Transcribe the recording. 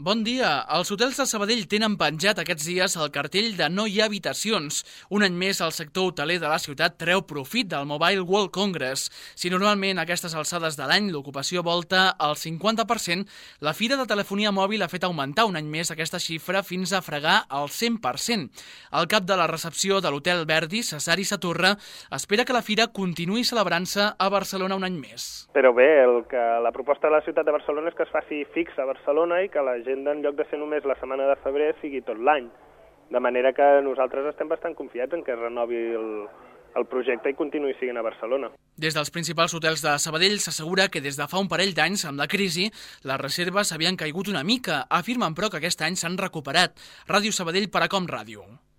Bon dia. Els hotels de Sabadell tenen penjat aquests dies el cartell de no hi ha habitacions. Un any més, el sector hoteler de la ciutat treu profit del Mobile World Congress. Si normalment a aquestes alçades de l'any l'ocupació volta al 50%, la Fira de Telefonia Mòbil ha fet augmentar un any més aquesta xifra fins a fregar el 100%. El cap de la recepció de l'Hotel Verdi, Cesari Saturra, espera que la fira continuï celebrant-se a Barcelona un any més. Però bé, la proposta de la ciutat de Barcelona és que es faci fix a Barcelona i que l'agenda, en lloc de ser només la setmana de febrer, sigui tot l'any. De manera que nosaltres estem bastant confiats en que es renovi el projecte i continuï sent a Barcelona. Des dels principals hotels de Sabadell s'assegura que des de fa un parell d'anys, amb la crisi, les reserves havien caigut una mica. Afirmen, però, que aquest any s'han recuperat. Ràdio Sabadell per a Com Ràdio.